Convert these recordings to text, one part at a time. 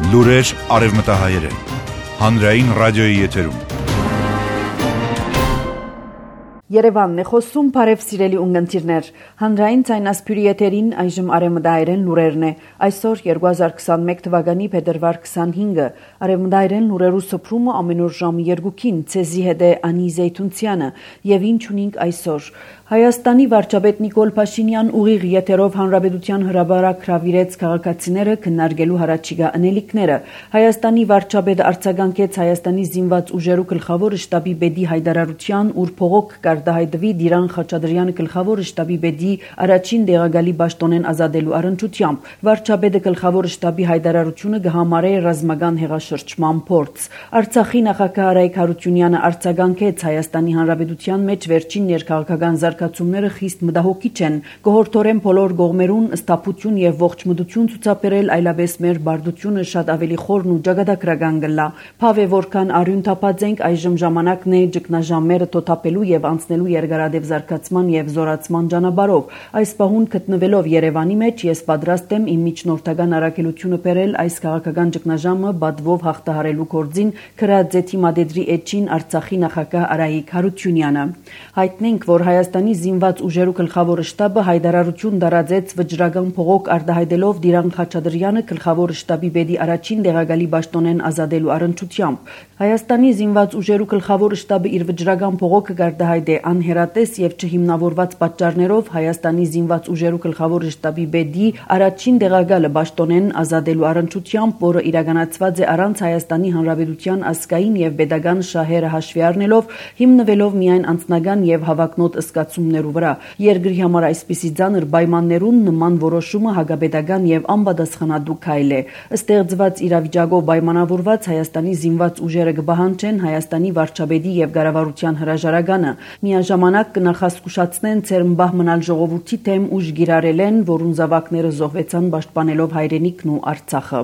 Լուրեր արևմտահայերեն, հանրային ռադիոյի եթերում։ Երևանն է խոսում, բարև սիրելի ունգընտիրներ, հանրային ցայնասփյուրի եթերին այժմ արևմտահայերեն լուրերն է, այսօր 2021 թվականի փետրվար 25-ը, արևմտահայերեն լուրերու սփռումը ամենուր ժամը 2-ին, ցեզի հետ է Անի Զեյթունցյանը, եւ ինչ ունենք այսօր։ Հայաստանի վարչապետ Նիկոլ Փաշինյան ուղիղ եթերով հանրապետության հրապարակ հրավիրեց քաղաքացիները քննարկելու հարաճիգա անելիքները։ Հայաստանի վարչապետը արձագանքեց Հայաստանի զինված ուժերու գլխավոր շտաբի պետի հայտարարության, ուր փողոք կարտահայտվի Դիրան Խաչատրյանը գլխավոր շտաբի պետի առաջին դեղագալի պաշտոնեն ազատելու առընչությամբ։ Վարչապետը գլխավոր շտաբի հայտարարությունը կհամարե ռազմական հեղաշրջման փորձ։ Արցախի նախագահ Արայիկ Հարությունյանը արձագանքեց Հայաստանի հանրապետության մեջ վերջին ներքաղաքական զարգացումները խիստ մտահոգիչ են, կհորդորեն բոլոր կողմերուն ստապություն եւ ողջմտություն ցուցաբերել, այլապես մեր բարդությունը շատ ավելի խորն ու ճակատագրական կլա։ Փավ է որքան արյուն թափած ենք, այժմ ժամանակն է ճգնաժամերը թոթափելու եւ անցնելու երկարադեպ զարգացման եւ զորացման ճանապարհով։ Այս պահուն գտնվելով Երևանի մեջ, ես պատրաստ եմ իմ միջնորդական առաքելությունը բերել այս քաղաքական ճգնաժամը բադվով հաղթահարելու գործին, գրած է թիմադեդրի էջին Արցախի նախագահ Արայիկ Հարությունյանը։ Հայտնենք, որ Հայաստանի զինված ուժերու գլխավոր շտաբը հայտարարություն տարածեց վճռական փողոք արտահայտելով Դիրան Խաչատրյանը գլխավոր շտաբի պետի առաջին դեղագալի պաշտոնեն ազատելու առընչությամբ։ Հայաստանի զինված ուժերու գլխավոր շտաբը իր վճռական փողոքը կարտահայտե անհերատես եւ չհիմնավորված պատճառներով Հայաստանի զինված ուժերու գլխավոր շտաբի պետի առաջին դեղագալը պաշտոնեն ազատելու առընչությամբ, որը իրականացված է առանց Հայաստանի Հանրապետության ազգային եւ pedagogan շահերը հաշվի առնելով, հիմնվելով միայն անձնական եւ հավակնոտ զգացումներու վրա։ Երկրի համար այսպիսի ցաներ պայմաններուն նման որոշումը հագաբեդական եւ անպատասխանատու քայլ է։ Ստեղծված իրավիճակով պայմանավորված Հայաստանի զինված ուժերը կպահանջեն Հայաստանի վարչապետի եւ կառավարության հրաժարականը։ Միաժամանակ կնախազգուշացնեն ցերմբահ մնալ ժողովրդի թեմ ուժ գիրարել են, որուն զավակները զոհվեցան պաշտպանելով հայրենիքն ու Արցախը։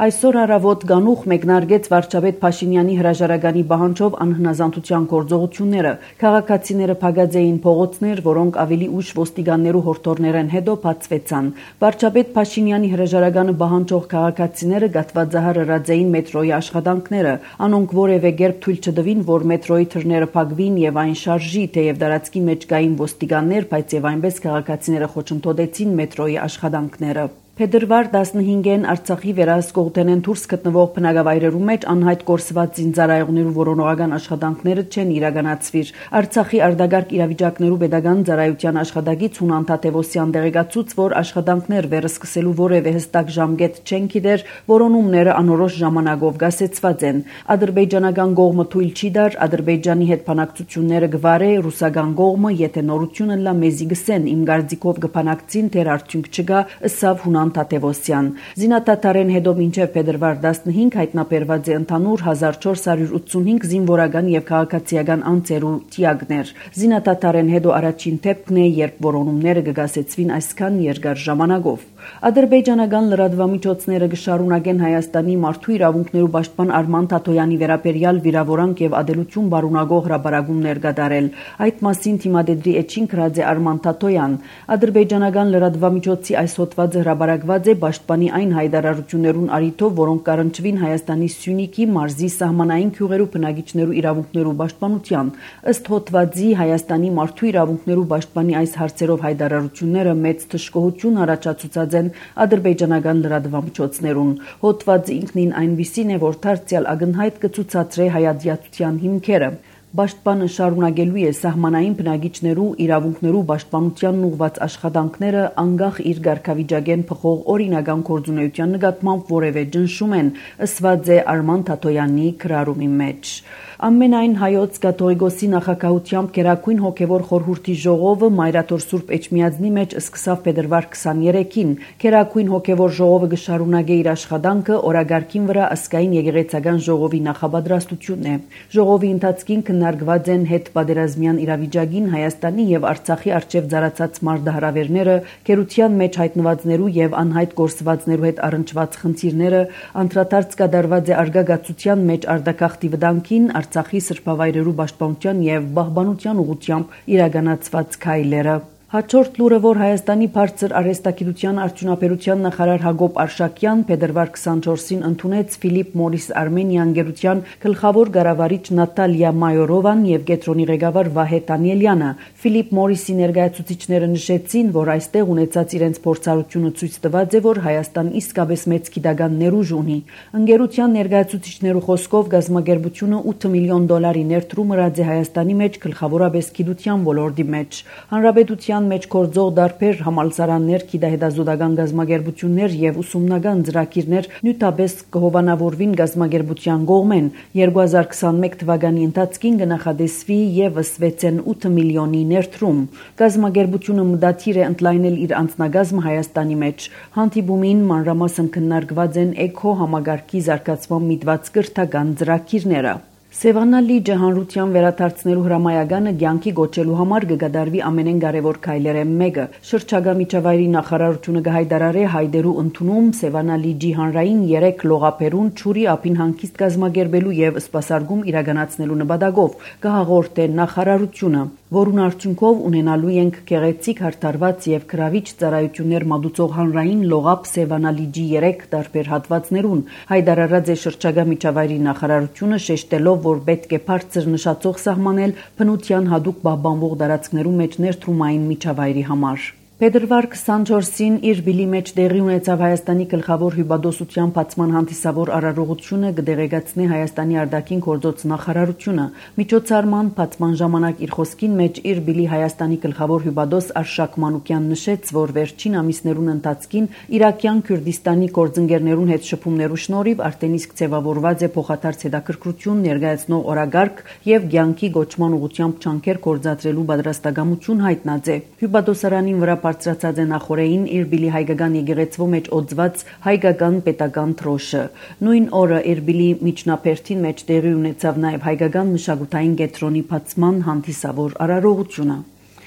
Այսօր առավոտ գանուխ մեկնարկեց վարչապետ Փաշինյանի հրաժարականի պահանջով անհնազանդության գործողությունները։ Քաղաքացիները փակած էին փողոցներ, որոնք ավելի ուշ ոստիկաններու հորդորներեն հետո բացվեցան։ Վարչապետ Փաշինյանի հրաժարականը պահանջող քաղաքացիները գատվածահարած էին մետրոյի աշխատանքները։ Անոնք որևէ կերպ թույլ չտվին, որ մետրոյի թռները փակվին եւ այն շարժի, թեև դարածքի մեջ կային ոստիկաններ, բայց եւ այնպես քաղաքացիները խոչընդոտեցին մետրոյի աշխատանքները։ Փետրվար 15-ին Արցախի վերահսկողութենեն դուրս գտնվող բնակավայրերու մեջ անհայտ կորսված զինծառայողներու որոնողական աշխատանքները չեն իրականացվիր։ Արցախի արտագաղթ իրավիճակներու pedagogan ծառայության աշխատակից Հունան Թադևոսյան տեղեկացուց, որ աշխատանքներ վերսկսելու որևէ հստակ ժամկետ չեն գիտեր, որոնումները անորոշ ժամանակով գասեցված են։ Ադրբեջանական կողմը թույլ չի տար Ադրբեջանի հետ բանակցությունները գվարե, ռուսական կողմը, եթե նորությունը լա մեզի գսեն, իմ գարձիկով կբանակցին, թեր արդյունք չկա, ըսավ Հունան Թադևոսյան։ Զինադատարեն հետո մինչև փետրվար 15 հայտնաբերված է ընդհանուր 1485 զինվորական եւ քաղաքացիական անձերու թիակներ։ Զինադատարեն հետո առաջին դեպքն է, երբ որոնումները կգասեցվին այսքան երկար ժամանակով։ Ադրբեջանական լրատվամիջոցները կշարունակեն Հայաստանի մարդու իրավունքներու պաշտպան Արման Թաթոյանի վերաբերյալ վիրավորանք եւ ադելություն բարունագող հրապարակումներ կատարել։ Այդ մասին թիմադեդրի էջին գրած է Արման Թաթոյան։ Ադրբեջանական լրատվամիջոցի այս հոդվածը հրապարակված է պաշտպանի այն հայտարարություններուն առիթով, որոնք կառնչվին Հայաստանի Սյունիքի մարզի սահմանային գյուղերու բնակիչներու իրավունքներու պաշտպանության։ Ըստ հոդվածի Հայաստանի մարդու իրավունքներու պաշտպանի այս հարցերով հայտարարությունները մեծ թշկողություն առաջացուցած են ադրբեջանական լրատվամիջոցներուն։ Հոդվածը ինքնին այնպիսին է, որ դարձյալ ակնհայտ կցուցադրե հայատյացության հիմքերը։ Պաշտպանը շարունակելու է սահմանային բնակիչներու իրավունքներու պաշտպանությանն ուղղված աշխատանքները անկախ իր ղարքավիճակեն փոխող օրինական գործունեության նկատմամբ որևէ ճնշում են, ըսված է Արման Թաթոյանի գրառումի մեջ։ Ամենայն հայոց կաթողիկոսի նախագահությամբ Գերագույն հոգևոր խորհրդի ժողովը Մայրաթոր Սուրբ Էջմիածնի մեջ սկսավ փետրվար 23-ին։ Գերագույն հոգևոր ժողովը կշարունակե իր աշխատանքը օրագարկին վրա ազգային եկեղեցական ժողովի նախապատրաստությունն է։ Ժողովի ընթացքին քննարկված են հետպատերազմյան իրավիճակին Հայաստանի եւ Արցախի արչեւ ծառացած մարտահրավերները, գերության մեջ հայտնվածներու եւ անհայտ գործվածներու հետ առնչված խնդիրները, անդրադարձ կատարված է արգագացության մեջ արտագաղթի վտանգին, Արցախի սրբավայրերու պաշտպանության եւ պահպանության ուղղությամբ իրականացված քայլերը։ Հաջորդ լուրը, որ Հայաստանի բարձր արհեստագիտության արդյունաբերության նախարար Հակոբ Արշակյան փետրվար 24-ին ընդունեց Ֆիլիպ Մորիս Արմենիան գերության գլխավոր ղարավարիչ Նատալիա Մայորովան եւ Գետրոնի ղեկավար Վահե Տանիելյանը։ Ֆիլիպ Մորիսի ներկայացուցիչները նշեցին, որ այստեղ ունեցած իրենց փորձառությունը ցույց տված է, որ Հայաստան իսկապես մեծ գիտական ներուժ ունի։ Ընկերության ներկայացուցիչներու խոսքով գազམ་ագերբությունը $8 միլիոն ներդրում ըրած է Հայաստանի մեջ գլխավորապես գիտության ոլորտի մեջ։ Հանրապետության մեջ գործող դարբեր համալսարաններ, գիտահետազոտական գազམ་ագերբություններ եւ ուսումնական ծրագիրներ նույնպես կհովանավորվին գազམ་ագերբության կողմեն։ 2021 թվականի ընթացքին կնախադեсվի եւս 6.8 միլիոնի ներդրում։ Գազམ་ագերբությունը մտադիր է ընդլայնել իր անձնագազմը Հայաստանի մեջ։ Հանդիպումին մանրամասն քննարկված են էկո համագարկի զարգացման միտված կրթական ծրագիրները։ Սևանա լիճը հանրության վերադարձնելու հրամայականը կյանքի գոչելու համար կգադարվի ամենեն կարևոր քայլերեն մեկը։ Շրջակա միջավայրի նախարարությունը կհայտարարի հայտերու ընդունում Սևանա լիճի հանրային 3 լողափերուն ճուրի ափին հանգիստ կազմակերպելու եւ սպասարկում իրականացնելու նպատակով կհաղորդե նախարարությունը, որուն արդյունքով ունենալու ենք գեղեցիկ հարթարված եւ գրավիչ ծառայություններ մատուցող հանրային լողափ Սևանա լիճի 3 տարբեր հատվածներուն։ Հայտարարած է շրջակա միջավայրի նախարարությունը շեշտելով, որ պետք է բարձր նշածող սահմանել բնության հատուկ պահպանվող տարածքներու մեջ ներդրումային միջավայրի համար։ Փետրվար 24-ին իր բիլի մեջ տեղի ունեցավ Հայաստանի գլխավոր հյուպատոսության բացման հանդիսավոր արարողությունը կդեղեկացնի Հայաստանի արտաքին գործոց նախարարությունը։ Միջոցառման բացման ժամանակ իր խոսքին մեջ իր բիլի Հայաստանի գլխավոր հյուպատոս Արշակ Մանուկյան նշեց, որ վերջին ամիսներուն ընթացքին Իրաքյան Քուրդիստանի գործընկերներուն հետ շփումներու շնորհիվ արդեն իսկ ձևավորված է փոխադարձ հետաքրքրություն ներկայացնող օրագարկ եւ կյանքի գոչման ուղղությամբ ջանքեր գործադրելու պատրաստակամություն հայտնած է։ Հյուպատոսարանին վրա բարձրացած է նախորդին իր բիլի հայկական եկեղեցվո մեջ օծված հայկական պետական թրոշը։ Նույն օրը իր բիլի միջնաբերդին մեջ տեղի ունեցավ նաև հայկական մշակութային կենտրոնի բացման հանդիսավոր արարողությունը։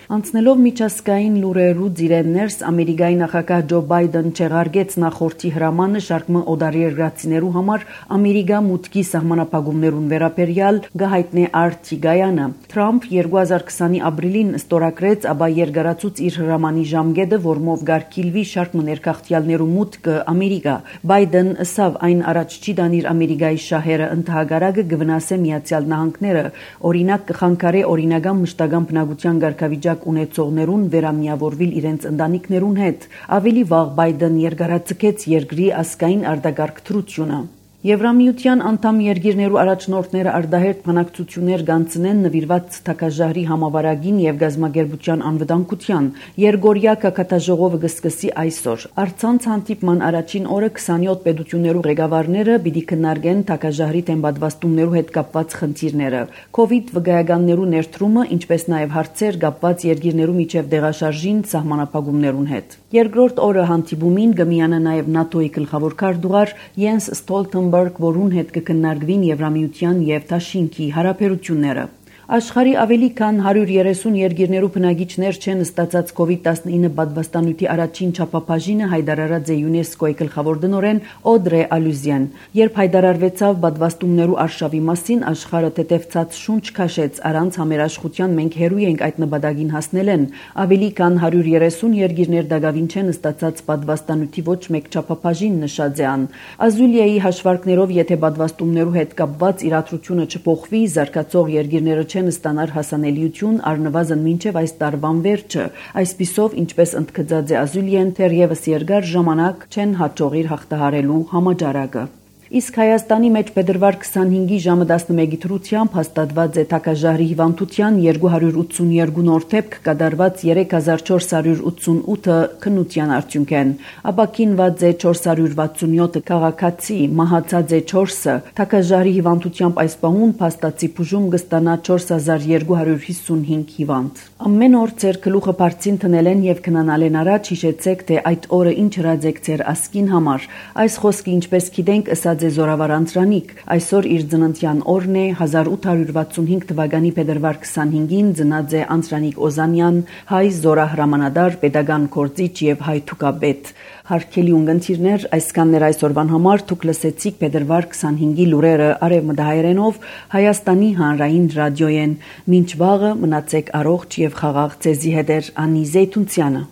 Անցնելով միջազգային լուրերու ծիրեններս Ամերիկայի նախագահ Ջո Բայդեն չեղարկեց նախորդի հրամանը շարքմը օտարերկրացիներու համար Ամերիկա մուտքի սահմանափակումներուն վերաբերյալ գահիտնե Արտիգայանը։ Թրամփ 2020-ի ապրիլին ստորագրեց, ապա երկարացուց իր հրամանի ժամկետը, որմով գարկիլվի շարքմը ներքախտյալներու մուտքը Ամերիկա։ Բայդեն ըսավ այն առաջ չի դանիր Ամերիկայի շահերը ընդհանրակը կվնասե Միացյալ Նահանգները, օրինակ կխանգարե օրինական մշտական բնակության կարգավիճակ ունեցողներուն վերամիավորվել իրենց ընտանիքներուն հետ։ Ավելի վաղ Բայդեն երկարաձգեց երկրի ազգային արտագաղթությունը։ Եվրամիության անդամ երկիրներու առաջնորդները արտահերթ բանակցություններ կանցնեն նվիրված թակաժահրի համավարակին եւ գազམ་ագերբության անվտանգության։ Երգորիա կակատաժողովը կսկսի այսօր։ Արցանց հանդիպման առաջին օրը 27 պետություններու ղեկավարները պիտի քննարկեն թակաժահրի դեմ պատվաստումներու հետ կապված խնդիրները, COVID վկայականներու ներդրումը, ինչպես նաեւ հարցեր կապված երկիրներու միջև դեղաշարժին սահմանափակումներուն հետ։ Երկրորդ օրը հանդիպումին կմիանա նաեւ ՆԱՏՕ-ի գլխավոր քարտուղար Յենս Ստոլտենբերգ, որուն հետ կքննարկվին Եվրամիության եւ Դաշինքի հարաբերությունները։ Աշխարհի ավելի քան 130 երկիրներու բնակիչներ չեն ստացած COVID-19 պատվաստանյութի առաջին չափաբաժինը հայտարարած է ՅՈՒՆԵՍԿՕ-ի գլխավոր տնօրեն Օդրե Ալյուզյան։ Երբ հայտարարվեցավ պատվաստումներու արշավի մասին, աշխարհը թեթևացած շունչ քաշեց, առանց համերաշխության մենք հերու ենք այդ նպատակին հասնելեն։ Ավելի քան 130 երկիրներ դակավին չեն ստացած պատվաստանյութի ոչ մեկ չափաբաժին, նշած է ան։ Ազուլիայի հաշվարկներով, եթե պատվաստումներու հետ կապված իրադրությունը չփոխվի, զարգացող երկիրները չեն ստանար հասանելիություն առնվազն մինչև այս տարվան վերջը։ Այսպիսով, ինչպես ընդգծած է Ազուլիեն, թերևս երկար ժամանակ չեն հաջողիր հաղթահարելու համաճարակը։ Իսկ Հայաստանի մեջ փետրվար 25-ի ժամը 11-ի դրությամբ հաստատված է թակաժահրի հիվանդության 282 նոր դեպք կատարված 3488 քննության արդյունքեն։ Ապաքինված է 467 քաղաքացի, մահացած է 4-ը։ Թակաժահրի հիվանդությամբ այս պահուն փաստացի բուժում կստանա 4255 հիվանդ։ Ամեն օր ձեր գլուխը բարձին տնել են եւ քնանալ են առաջ, հիշեցեք, թե այդ օրը ինչ հրաձեք ձեր ասկին համար։ Այս խոսքը ինչպես գիտենք, ըսած է զորավար անձրանիկ։ Այսօր իր ծննդյան օրն է 1865 թվականի փետրվար 25-ին ծնած է անձրանիկ Օզանյան, հայ զորահրամանատար, պետական գործիչ եւ հայ թուկապետ։ Հարգելի ունգընտիրներ, այսքաններ այսօրվան համար դուք լսեցիք փետրվար 25-ի լուրերը արևմտահայերենով Հայաստանի հանրային ռադիոյեն։ Մինչ վաղը մնացեք առողջ եւ խաղաղ ձեզի հետ Անի Զեյթունցյանը։